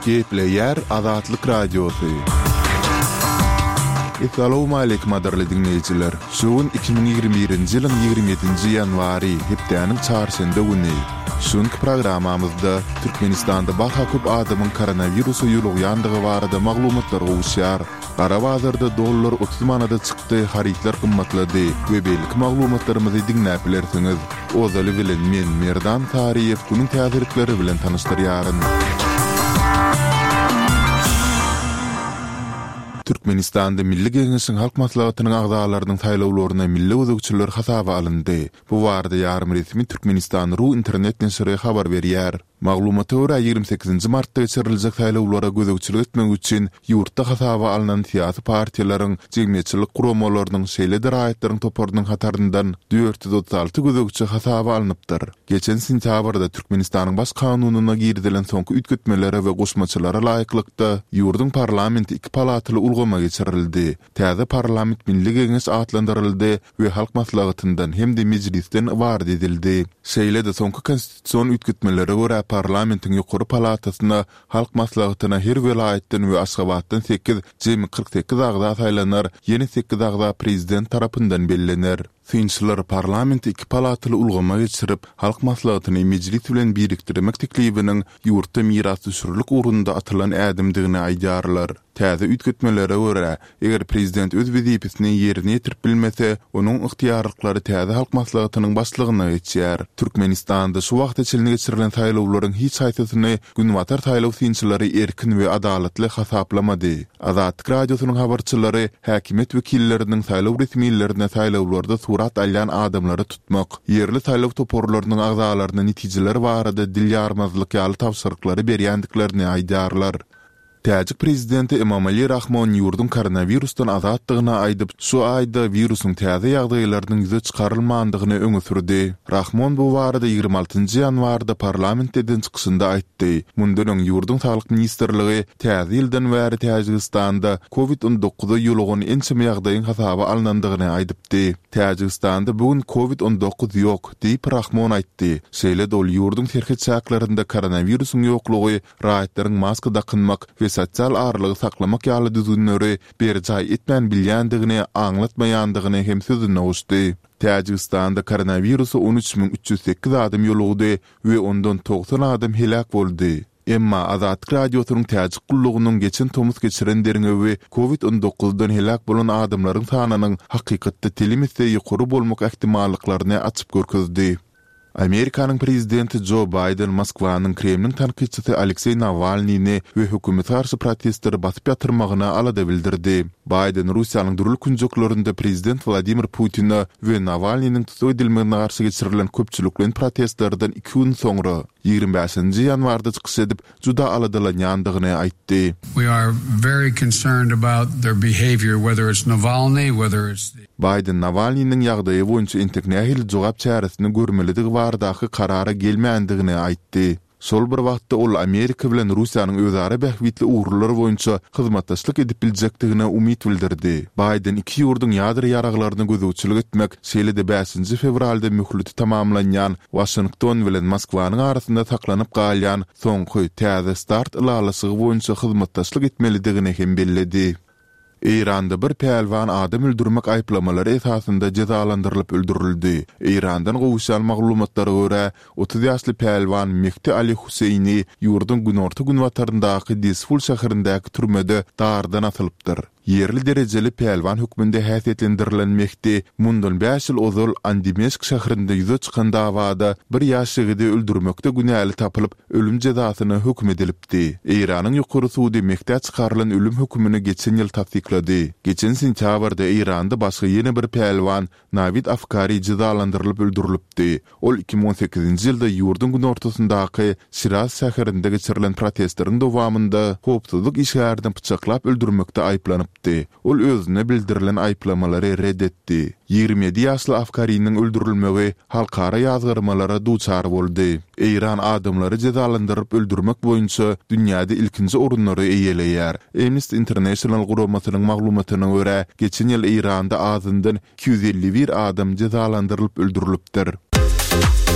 Gepleýär Azatlyk Radiosy. Essalawmaleýkim gadyrly diňleýjiler! Şu gün 2021-nji ýylyň 27-nji ýanwary, hepdäniň çarşenbe güni. Şu günki programmamyzda Türkmenistanda barha köp adamyň koronawirusa ýolugýandygy barada maglumatlar gowuşýar. Gara bazarda dollar 30 manada çykdy, harytlar gymmatlady we beýleki maglumatlarymyzy diňläp bilersiňiz. Ozaly bilen men, Merdan Saryýew günüň täzelikleri bilen tanyşdyrýaryn. Türkmenistanda Milli Geňeşiň Halk Maslahatynyň agzalarynyň saýlawlaryna milli gözegçiler hasaba alyndy. Bu barada ýarym resmi Türkmenistan. Ru internet neşiri habar berýär. Maglumata görä, 28 nji martda geçiriljek saýlawlara gözegçilik etmek üçin ýurtda hasaba alnan syýasy partiýalaryň, jemgyýetçilik guramalarynyň, şeýle-de raýatlaryň toparynyň hataryndan 436 gözegçi hasaba alnypdyr. Geçen sentýabrda Türkmenistanyň Baş kanunyna girizilen soňky üýtgetmelere we goşmaçalara laýyklykda, ýurduň parlamenti iki palataly ulgama geçirildi. Täze parlament Milli Geňeş atlandyryldy we Halk Maslahatyndan hem-de Mejlisden ybarat edildi. Şeýle-de soňky konstitusion üýtgetmelere görä parlamentiň ýokary palatasyna, Halk Maslahatyna her welaýatdan we Aşgabatdan sekiz, jemi 48 agza saýlanar, ýene sekiz agza prezident tarapyndan bellener. Synçylar parlamenti iki palataly ulgama geçirip, Halk Maslahatyny Mejlis bilen birikdirmek teklibiniň ýurtda mirasdüşerlik ugrunda atylan ädimdigini aýdýarlar. Täze üýtgetmelere görä, eger prezident öz wezipesini ýerine ýetirip bilmese, onuň ygtyýarlyklary täze Halk Maslahatynyň başlygyna geçýär. Türkmenistanda şu wagta çenli geçirilen saýlawlaryň hiç haýsysyny günbatar saýlaw synçylary erkin we adalatly hasaplamady. Azatlyk Radiosynyň habarçylary häkimiýet wekilleriniň saýlaw resmilerine saýlawlarda surat alýan adamlary tutmak, ýerli saýlaw toparlarynyň agzalaryna netijeler barada dil ýarmazlyk ýaly tabşyryklary berýändiklerini aýdýarlar. Täjik prezidenti Emomali Rahmon ýurduň koronawirusdan azatdygyny aýdyp, şu aýda wirusyň täze ýagdaýlarynyň ýüze çykarylmandygyny öňe sürdi. Rahmon bu barada 26 nji ýanwarda parlamentde eden çykyşynda aýtdy. Mundan öň ýurduň Saglyk ministrligi täze ýyldan bäri Täjigistanda Covid 19-a ýolugan ençeme ýagdaýyň hasaba alnandygyny aýdypdy. Täjigistanda bu gün Covid 19 ýok, diýip, Rahmon aýtdy. Şeýle-de ol ýurduň serhet çäklerinde koronawirusyň ýoklugy raýatlaryň maska dakynmak we sosial aralygy saklamak ýaly düzgünleri berjaý etmän bilýändigini aňlatmaýandygyny hem sözüne goşdy. Täjigistanda koronawirusa 13 308 adam ýolugdy we ondan 90 adam heläk boldy. Emma Azatlyk Radiosynyň Täjik gullugynyň geçen tomus geçiren derňewi Covid 19-dan heläk bolan adamlaryň sanynyň hakykatda telim esse ýokary bolmak ähtimallyklaryny açyp görkezdi. Amerikanyň prezidenti Jo Baýden Moskwanyň Kremliň tankytçysy Alekseý Nawalnyny we hökümete garşy protestleri basyp ýatyrmagyna alada bildirdi. Baýden Russiýanyň dürli künjeklerinde prezident Wladimir Putine we Nawalnynyň tussag edilmegine garşy geçirilen köpçülikleýin protestlerden iki gün soňra, 25 ýanwarda çykyş edip, juda aladalanýandygyny aýtdy. We are very concerned about their behavior, whether it's Navalny, whether it's the. Baýden Nawalnynyň ýagdaýy boýunça entek nähili jogap çäresini görmelidigi baradaky karara gelmändigini aýtdy. Şol bir wagtda ol Amerika bilen Russiýanyň özara bähbitli ugurlar boýunça hyzmatdaşlyk edip biljekdigine umyt bildirdi. Baýden iki ýurduň ýadro ýaraglaryna gözegçilik etmek, şeýle-de bäşinji fewralda möhleti tamamlanýan Waşington bilen Moskwanyň arasynda saklanyp galýan soňky Täze start ylalaşygy boýunça hyzmatdaşlyk etmelidigini hem belledi. Eýranda bir pälwan adam öldürmek aýyplamalary esasynda jezalandyrylyp öldürildi. Eýrandan gowuşýan maglumatlara görä, 30 ýaşly pälwan Mehdi Ali Huseýni ýurduň günorta-günbataryndaky Dezful şäherindäki türmede dardan asylypdyr. Ýerli derejeli pälwan hökmünde häsiýetlendirilen Mehdi mundan bäş ýyl ozal Andimeşk şäherinde ýüze çykan dawada bir ýaş ýigidi öldürmekde günäli tapylyp, ölüm jezasyna höküm edilipdi. Eýranyň ýokary sudy Mehdä çykarylan ölüm hökümini geçen ýyl tassyklady. Geçen sentýabrda Eýranda başga ýene bir pälwan Nawid Afkari jezalandyrylyp öldürilipdi. Ol 2018-nji ýylda ýurduň günortasyndaky Şiraz şäherinde geçirilen protestleriň dowamynda howpsuzlyk işgärini pyçaklap öldürmekde aýyplanypdy. Ol özüne bildirilen aýyplamalary ret etdi. 27 ýaşly Afkariniň öldürilmegi halkara ýazgarmalara duçar boldy. Eýran adamlary jezalandyryp öldürmek boýunça dünýäde ilkinji orunlary eýeleýär. Amnesty International guramasynyň maglumatyna görä, geçen ýyl Eýranda azyndan 251 adam jezalandyrylyp öldürilipdir.